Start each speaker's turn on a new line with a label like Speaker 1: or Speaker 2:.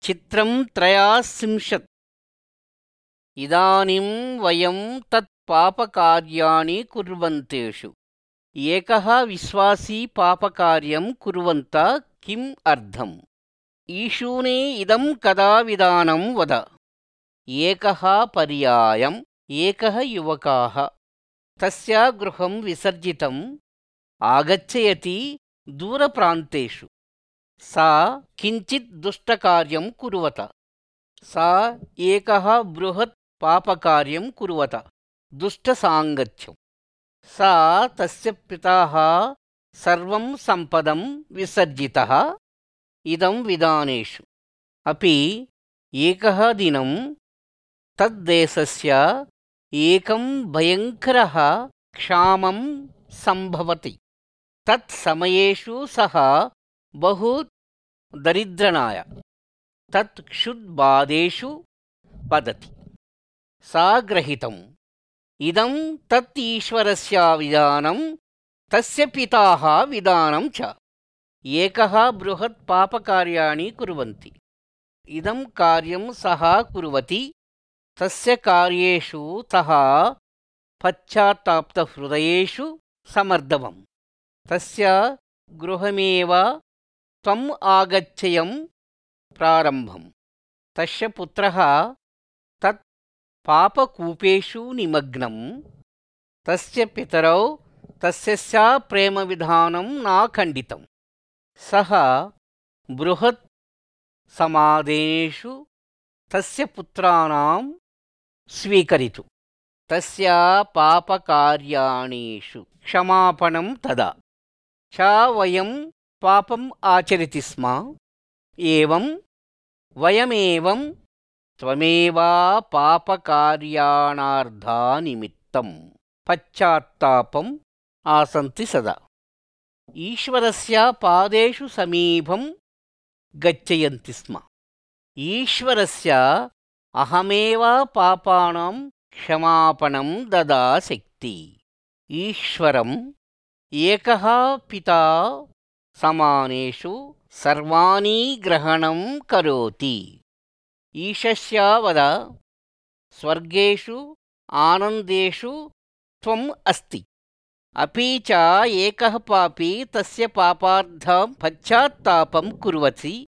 Speaker 1: चित्रं त्रयास्त्रिंशत्। इदानीं वयं तत् पापकार्याणि कुर्वन्तेषु एकः विश्वासी पापकार्यं कुर्वन्त किम् अर्थम्? ईशूने इदं कदा विधानं वद। एकः पर्यायम् एकः युवकः तस्य गृहं विसर्जितम् आगच्छति दूरप्रान्तेषु। सा किञ्चित् दुष्टकार्यं कुर्वत। सा एकः बृहत् पापकार्यं कुर्वत दुष्टसाङ्गत्यम्। सा तस्य पितः सर्वं सम्पदं विसर्जितः। इदं विधानेषु अपि एकः दिनं तद्देशस्य एकं भयङ्करः क्षामं सम्भवति। तत्समयेषु सः बहु दरिद्रनाय तत् क्षुद्बाधेषु पतति। सा ग्रहीतम् इदं तत् ईश्वरस्य विधानं तस्य पिताः विधानं च। एकः बृहत् पापकार्याणि कुर्वन्ति। इदं कार्यं सः कुर्वति। तस्य कार्येषु सः पश्चात्तापहृदयेषु समर्दवम्। तस्य गृहमेव त्वम् आगच्छयं प्रारम्भम्। तस्य पुत्रः तत् पापकूपेषु निमग्नम्। तस्य पितरौ तस्य प्रेमविधानं न खण्डितम्। सः बृहत् समादेशु तस्य पुत्राणां स्वीकरितु। तस्य पापकार्याणीषु क्षमापणं तदा च वयं पापम् आचरति स्म। एवं वयमेवं त्वमेव पापकार्याणार्थनिमित्तं पश्चात्तापम् आसन्ति सदा। ईश्वरस्य पादेषु समीपं गच्छन्ति स्म। ईश्वरस्य अहमेव पापानां क्षमापणं ददाशक्ति। ईश्वरम् एकः पिता समानेषु सर्वाणि ग्रहणं करोति। ईशस्य वद स्वर्गेषु आनन्देषु त्वम् अस्ति। अपि च एकः पापी तस्य पापार्थं पश्चात्तापं कुर्वति